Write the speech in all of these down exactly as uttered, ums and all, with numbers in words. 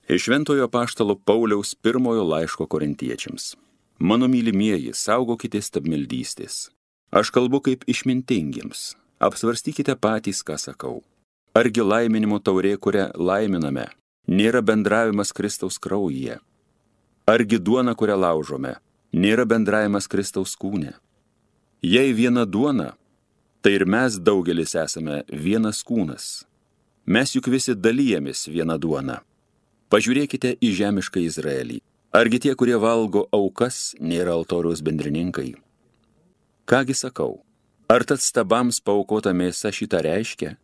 Iš Šventojo apaštalo Pauliaus pirmojo laiško korintiečiams. Mano mylimieji, saugokite stabmeldystės. Aš kalbu kaip išmintingiems. Apsvarstykite patys, ką sakau. Argi laiminimo taurė, kurią laiminame, nėra bendravimas Kristaus kraujyje? Argi duona, kurią laužome, nėra bendravimas Kristaus kūne? Jei viena duona, tai ir mes daugelis esame vienas kūnas. Mes juk visi dalyjamės vieną duoną. Pažiūrėkite į žemišką Izraelį. Argi tie, kurie valgo aukas, nėra altoriaus bendrininkai? Kągi sakau, ar tad stabams paaukota mėsa šitą reiškia?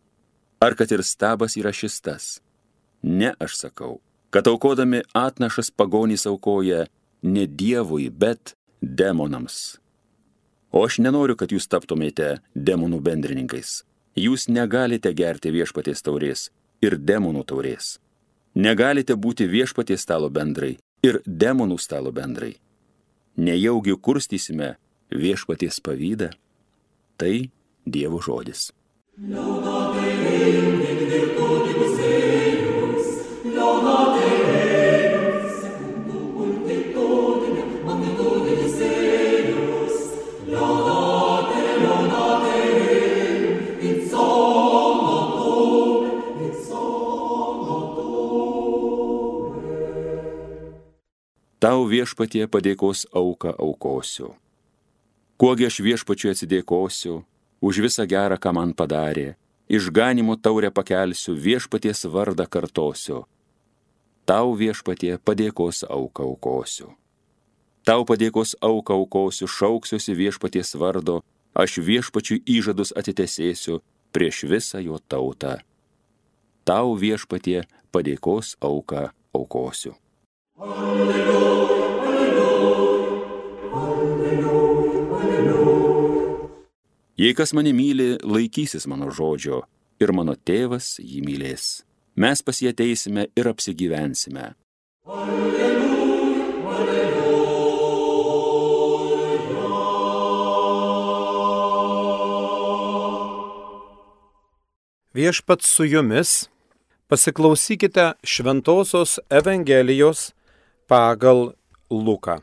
Ar kad ir stabas yra šis tas? Ne, aš sakau, kad aukodami atnašas pagonys aukoja ne Dievui, bet demonams. O aš nenoriu, kad jūs taptumėte demonų bendrininkais. Jūs negalite gerti viešpaties taurės ir demonų taurės. Negalite būti viešpaties stalo bendrai ir demonų stalo bendrai. Nejaugi kurstysime viešpaties pavydą? Tai Dievo žodis. Tau viešpatie padėkos auką aukosiu. Kuogi aš viešpačiui atsidėkosiu už visą gerą, ką man padarė, išganimo taurę pakelsiu, viešpaties vardą kartosiu. Tau viešpatie padėkos auką aukosiu. Tau padėkos auką aukosiu, šauksiuosi viešpaties vardo, aš viešpačiui įžadus atitesėsiu prieš visą jo tautą. Tau viešpatie padėkos auką aukosiu. Alleluja, alleluja, alleluja, alleluja. Jei kas mane myli, laikysis mano žodžio, ir mano tėvas jį mylės. Mes pas jį ateisime ir apsigyvensime. Alleluja, alleluja. Viešpats su jumis, pasiklausykite Šventosios Evangelijos pagal Luką.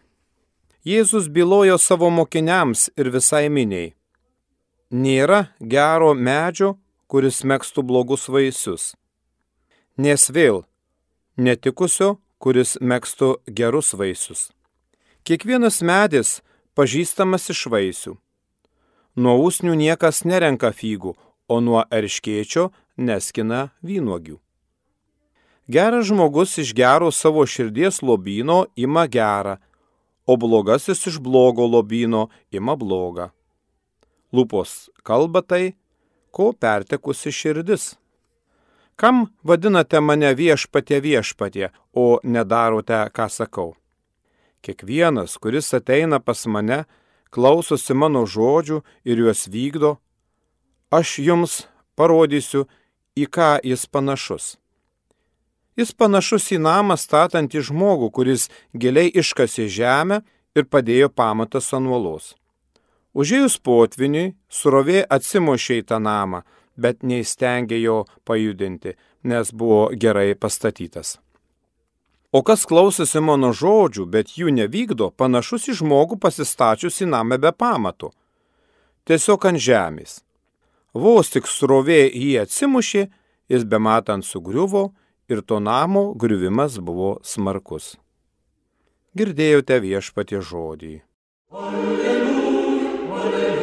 Jėzus bylojo savo mokiniams ir visai miniai. Nėra gero medžio, kuris megztų blogus vaisius. Nes vėl netikusio, kuris megztų gerus vaisius. Kiekvienas medis pažįstamas iš vaisių. Nuo usnių niekas nerenka figų, o nuo erškėčio neskina vynuogių. Geras žmogus iš gero savo širdies lobyno ima gerą, o blogasis iš blogo lobyno ima blogą. Lūpos kalba tai, ko pertekusi širdis. Kam vadinate mane viešpatie viešpatie, o nedarote, ką sakau? Kiekvienas, kuris ateina pas mane, klausosi mano žodžių ir juos vykdo, aš jums parodysiu, į ką jis panašus. Jis panašus į namą statantį žmogų, kuris giliai iškasė žemę ir padėjo pamatas ant uolos. Užėjus potviniui, srovė atsimušė į tą namą, bet neįstengė jo pajudinti, nes buvo gerai pastatytas. O kas klausosi mano žodžių, bet jų nevykdo, panašus į žmogų pasistačiusi namą be pamatų. Tiesiog ant žemės. Vos tik srovė jį atsimušė, jis bematant sugriuvo ir to namo griuvimas buvo smarkus. Girdėjote viešpatie žodį. Alleluja, alleluja.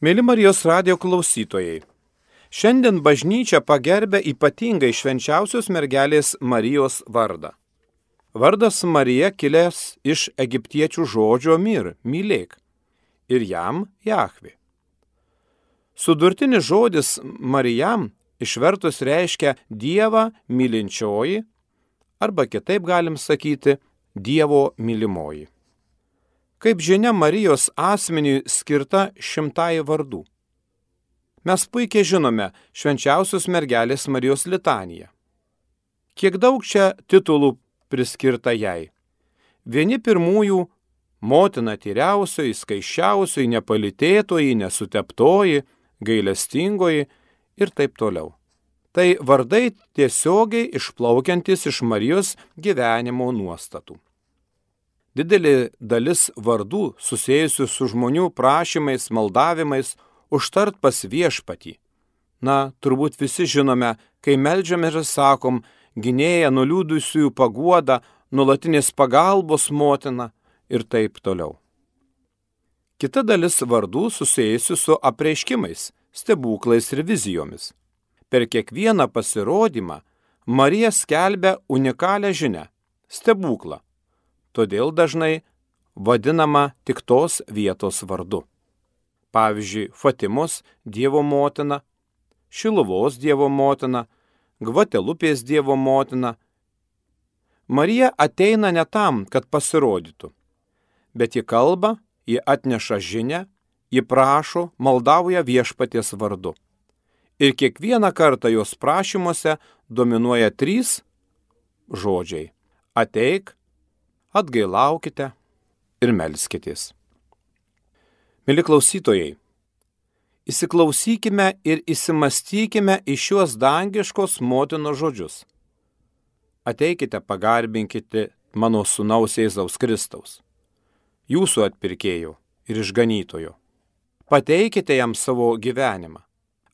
Mėly Marijos radijo klausytojai, šiandien bažnyčia pagerbia ypatingai švenčiausios mergelės Marijos vardą. Vardas Marija kilęs iš egiptiečių žodžio mir, mylėk, ir jam Jahvė. Sudurtinis žodis Marijam išvertus reiškia Dievą mylinčioji, arba kitaip galim sakyti Dievo mylimoji. Kaip žinia, Marijos asmeniui skirta šimtai vardų. Mes puikiai žinome švenčiausios mergelės Marijos litaniją. Kiek daug čia titulų priskirta jai. Vieni pirmųjų motina tyriausioji, skaičiausioji, nepalitėtoji, nesuteptoji, gailestingoji ir taip toliau. Tai vardai tiesiogiai išplaukiantis iš Marijos gyvenimo nuostatų. Didelė dalis vardų susijusių su žmonių prašymais, maldavimais užtart pas viešpatį. Na, turbūt visi žinome, kai meldžiame ir sakom, gynėja, nuliūdusiųjų paguoda, nuolatinės pagalbos motina ir taip toliau. Kita dalis vardų susijusių su apreiškimais, stebuklais ir vizijomis. Per kiekvieną pasirodymą Marija skelbia unikalią žinią – stebuklą. Todėl dažnai vadinama tik tos vietos vardu. Pavyzdžiui, Fatimos Dievo motina, Šiluvos Dievo motina, Gvatelupės Dievo motina. Marija ateina ne tam, kad pasirodytų, bet ji kalba, ji atneša žinią, ji prašo, maldauja viešpaties vardu. Ir kiekvieną kartą jos prašymuose dominuoja trys žodžiai – ateik, atgailaukite ir melskitės. Mili klausytojai, įsiklausykime ir įsimastykime į šiuos dangiškos motinos žodžius. Ateikite, pagarbinkite mano sūnaus Jėzaus Kristaus, jūsų atpirkėjo ir išganytojo. Pateikite jam savo gyvenimą.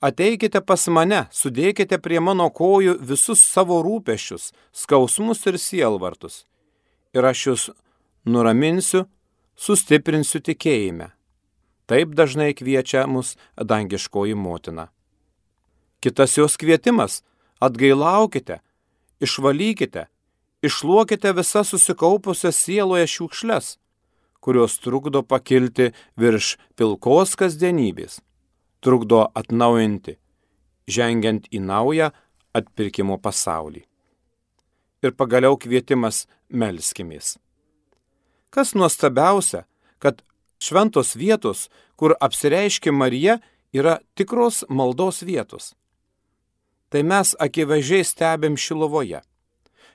Ateikite pas mane, sudėkite prie mano kojų visus savo rūpesčius, skausmus ir sielvartus. Ir aš jūs nuraminsiu, sustiprinsiu tikėjime. Taip dažnai kviečia mus dangiškoji motina. Kitas jos kvietimas – atgailaukite, išvalykite, iššluokite visas susikaupusias sieloje šiukšles, kurios trukdo pakilti virš pilkos kasdienybės, trukdo atnaujinti, žengiant į naują atpirkimo pasaulį. Ir pagaliau kvietimas melskimės. Kas nuostabiausia, kad šventos vietos, kur apsireiškia Marija, yra tikros maldos vietos. Tai mes akivaizdžiai stebim Šiluvoje.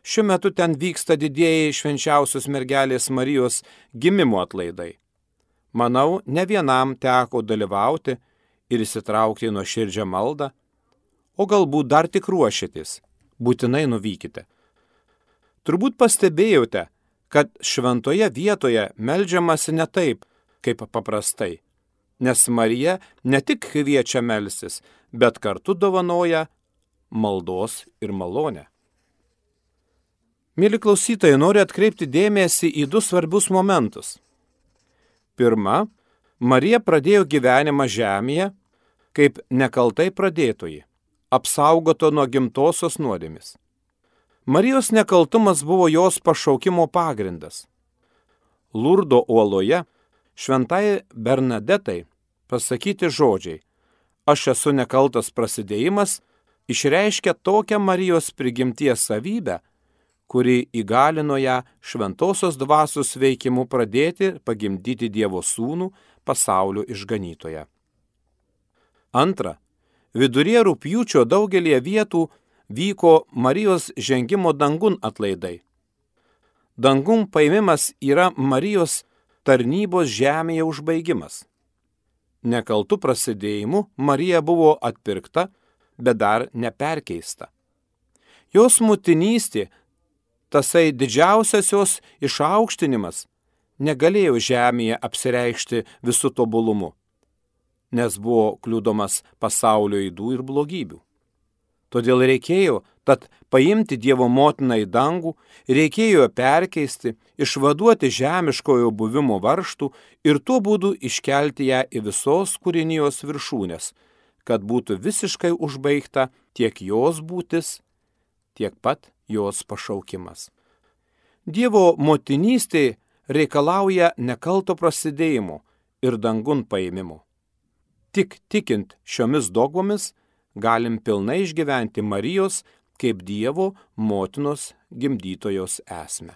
Šiuo metu ten vyksta didieji švenčiausios mergelės Marijos gimimo atlaidai. Manau, ne vienam teko dalyvauti ir įsitraukti nuo širdžią maldą, o galbūt dar tik ruošitės, būtinai nuvykite. Turbūt pastebėjote, kad šventoje vietoje meldžiamasi ne taip, kaip paprastai, nes Marija ne tik kviečia melstis, bet kartu dovanoja maldos ir malonę. Mėly klausytojai, noriu atkreipti dėmesį į du svarbius momentus. Pirma, Marija pradėjo gyvenimą žemėje kaip nekaltai pradėtoji, apsaugoto nuo gimtosios nuodėmės. Marijos nekaltumas buvo jos pašaukimo pagrindas. Lurdo uoloje šventai Bernadetai pasakyti žodžiai "Aš esu nekaltas" prasidėjimas išreiškia tokią Marijos prigimties savybę, kuri įgalino ją šventosios dvasios veikimu pradėti pagimdyti Dievo sūnų, pasaulio išganytoją. Antra, viduryje rugpjūčio daugelie vietų vyko Marijos žengimo dangun atlaidai. Dangun paėmimas yra Marijos tarnybos žemėje užbaigimas. Nekaltų prasidėjimu Marija buvo atpirkta, bet dar neperkeista. Jos motinystė, tasai didžiausias jos išaukštinimas, negalėjo žemėje apsireikšti visų tobulumu, nes buvo kliudomas pasaulio ydų ir blogybių. Todėl reikėjo tad paimti Dievo motiną į dangų, reikėjo perkeisti, išvaduoti žemiškojo buvimo varžtų ir tuo būdu iškelti ją į visos kūrinijos viršūnės, kad būtų visiškai užbaigta tiek jos būtis, tiek pat jos pašaukimas. Dievo motinystė reikalauja nekalto prasidėjimo ir dangun paėmimo. Tik tikint šiomis dogmomis galim pilnai išgyventi Marijos kaip Dievo motinos gimdytojos esmę.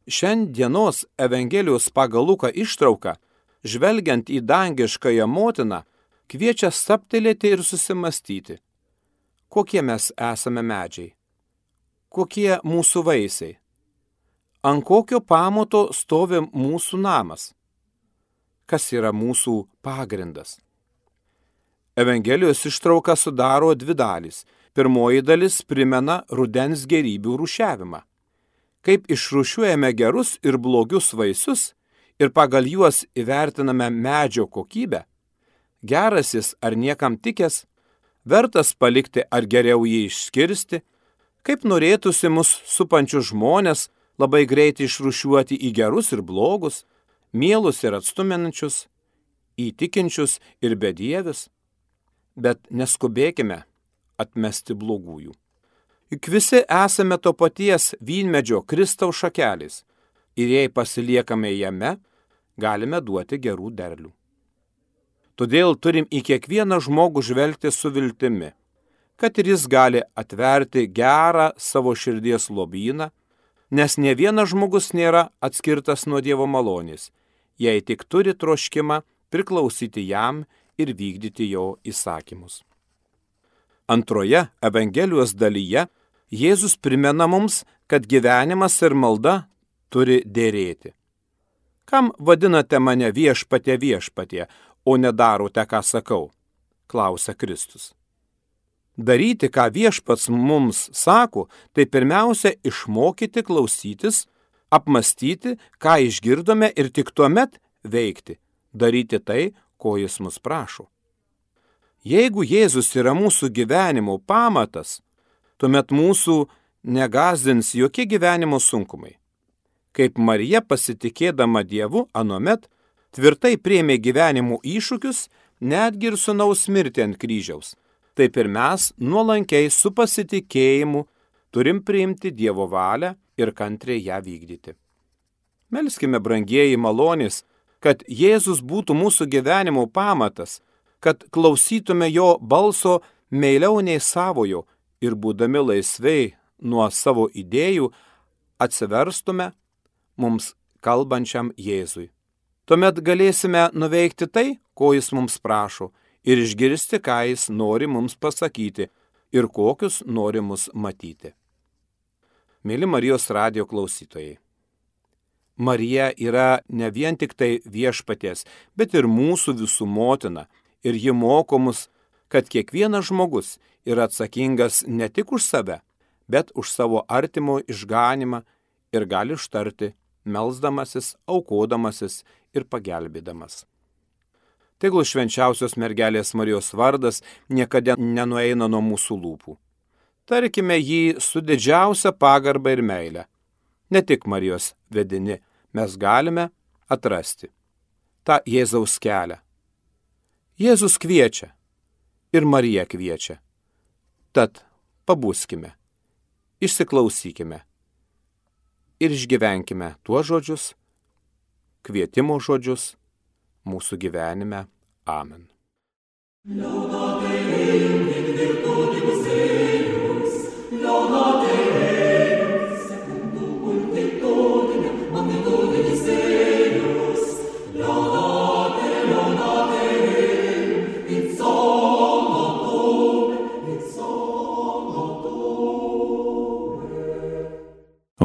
Šiandienos Evangelijos pagal Luką ištrauka, žvelgiant į dangiškąją motiną, kviečia stabtelėti ir susimastyti, kokie mes esame medžiai, kokie mūsų vaisiai. ant kokio pamato stovi mūsų namas? Kas yra mūsų pagrindas? Evangelijos ištrauką sudaro dvi dalys. Pirmoji dalis primena rudens gėrybių rūšiavimą. Kaip išrūšiuojame gerus ir blogius vaisius ir pagal juos įvertiname medžio kokybę, gerasis ar niekam tikęs, vertas palikti ar geriau jį išskirsti, kaip norėtųsi mus supančius žmonės labai greitai išrūšiuoti į gerus ir blogus, mielus ir atstuminančius, įtikinčius ir bedievius. Bet neskubėkime atmesti blogųjų. Juk visi esame to paties vynmedžio Kristaus šakelės ir jei pasiliekame jame, galime duoti gerų derlių. Todėl turim į kiekvieną žmogų žvelgti su viltimi, kad ir jis gali atverti gerą savo širdies lobyną, nes ne vienas žmogus nėra atskirtas nuo Dievo malonės, jei tik turi troškimą priklausyti jam ir vykdyti jo įsakymus. Antroje Evangelijos dalyje Jėzus primena mums, kad gyvenimas ir malda turi dėrėti. Kam vadinate mane viešpatie viešpatie, o nedarote, ką sakau? Klausia Kristus. Daryti, ką viešpats mums sako, tai pirmiausia išmokyti klausytis, apmastyti, ką išgirdome ir tik tuomet veikti, daryti tai, ko jis mus prašo. Jeigu Jėzus yra mūsų gyvenimo pamatas, tuomet mūsų negazdins jokie gyvenimo sunkumai. Kaip Marija pasitikėdama Dievu anuomet tvirtai priėmė gyvenimo iššūkius, netgi ir sūnaus mirtį ant kryžiaus, taip ir mes nuolankiai su pasitikėjimu turim priimti Dievo valią ir kantriai ją vykdyti. Melskime, brangieji, malonės, kad Jėzus būtų mūsų gyvenimo pamatas, kad klausytume jo balso meiliau nei savojo ir būdami laisvai nuo savo idėjų atsiverstume mums kalbančiam Jėzui. Tuomet galėsime nuveikti tai, ko jis mums prašo, ir išgirsti, ką jis nori mums pasakyti ir kokius nori mus matyti. Mėly Marijos radijo klausytojai, Marija yra ne vien tik tai viešpaties, bet ir mūsų visų motina, ir ji moko mus, kad kiekvienas žmogus yra atsakingas ne tik už save, bet už savo artimo išganimą ir gali ištarti, melsdamasis, aukodamasis ir pagelbėdamas. Tegul švenčiausios mergelės Marijos vardas niekada nenueina nuo mūsų lūpų. Tarkime jį su didžiausia pagarba ir meile. Ne tik Marijos vedini mes galime atrasti tą Jėzaus kelią. Jėzus kviečia ir Marija kviečia. Tad pabuskime, išsiklausykime ir išgyvenkime tuos žodžius, kvietimo žodžius mūsų gyvenime. Amen.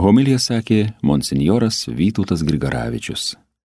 Homiliją sakė monsinjoras Vytautas Grigaravičius.